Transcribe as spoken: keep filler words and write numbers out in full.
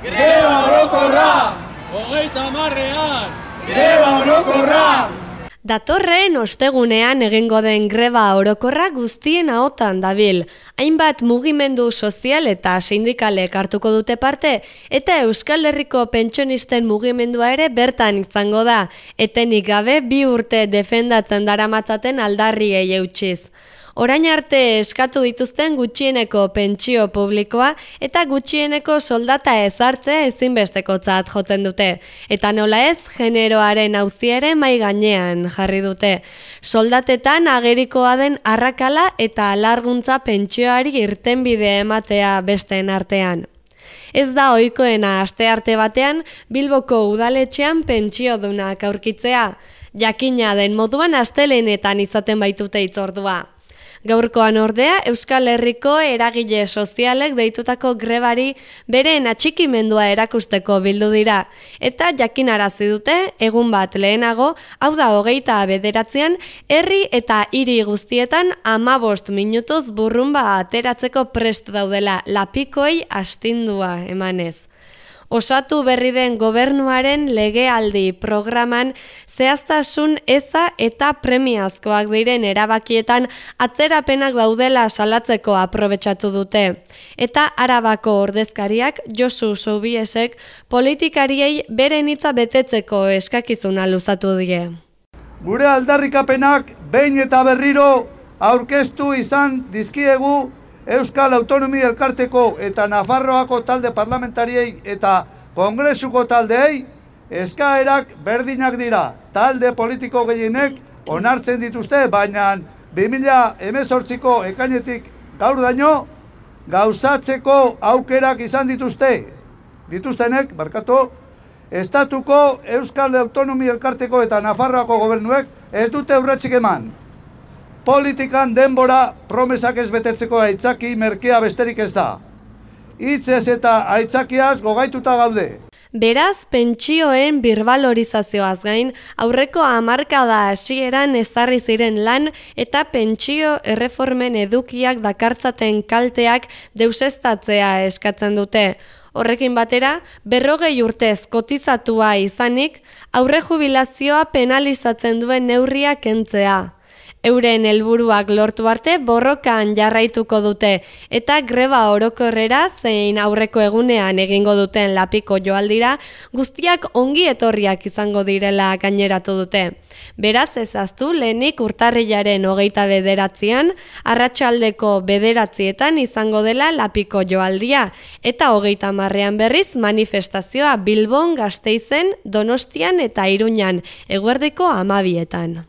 Greba orokorra! Hogeita hamarrean! Greba orokorra! Datorren ostegunean egingo den greba orokorra guztien ahotan dabil. Hainbat mugimendu sozial eta sindikalek hartuko dute parte, eta Euskal Herriko pentsionisten mugimendua ere bertan izango da, etenik gabe bi urte defendatzen daramatzaten aldarriei eutsiz. Orain arte eskatu dituzten gutxieneko pentsio publikoa eta gutxieneko soldata ezartzea ezinbestekotzat jotzen dute. Eta nola ez, generoaren auzia ere mai gainean jarri dute. Soldatetan agerikoa den arrakala eta alarguntza pentsioari irtenbide ematea besteen artean. Ez da ohikoena astearte batean Bilboko udaletxean pentsiodunak aurkitzea. Jakina den moduan astelehenetan izaten baitute hitzordua. Gaurkoan ordea, Euskal Herriko eragile sozialek deitutako grebari beren atxikimendua erakusteko bildu dira. Eta jakinarazi dute, egun bat lehenago, hau da hogeita bederatzean, herri eta hiri guztietan hamabost minutuz burrunba ateratzeko prest daudela lapikoei astindua emanez. Osatu berri den gobernuaren legealdi programan zehaztasun eza eta premiazkoak diren erabakietan atzerapenak daudela salatzeko aprobetxatu dute. Eta Arabako ordezkariak Josu Soubiesek politikariei beren hitza betetzeko eskakizuna luzatu die. Gure aldarrikapenak behin eta berriro aurkeztu izan dizkiegu Euskal Autonomia Elkarteko eta Nafarroako talde parlamentariei eta Kongresuko taldeei eskaerak berdinak dira. Talde politiko gehienek onartzen dituzte, baina bi mila hemezortziko ekainetik gaur daino gauzatzeko aukerak izan dituzte. Dituztenek, barkatu, estatuko Euskal Autonomia Elkarteko eta Nafarroako gobernuek ez dute urratsik eman. Politikan denbora promesak ez betetzeko aitzaki merkea besterik ez da. Hitzez eta aitzakiaz gogaituta gaude. Beraz, pentsioen birbalorizazioaz gain, aurreko hamarkada hasieran ezarri ziren lan eta pentsio erreformen edukiak dakartzaten kalteak deuseztatzea eskatzen dute. Horrekin batera, berrogei urtez kotizatua izanik, aurre jubilazioa penalizatzen duen neurria kentzea. Euren helburuak lortu arte borrokan jarraituko dute eta greba orokorrera zein aurreko egunean egingo duten lapiko joaldira guztiak ongi etorriak izango direla gaineratu dute. Beraz ezaztu lehenik urtarrilaren hogeita bederatzean, arratsaldeko bederatzietan izango dela lapiko joaldia eta hogeita hamarrean berriz manifestazioa Bilbon, Gasteizen, Donostian eta Iruñan, eguerdiko hamabietan.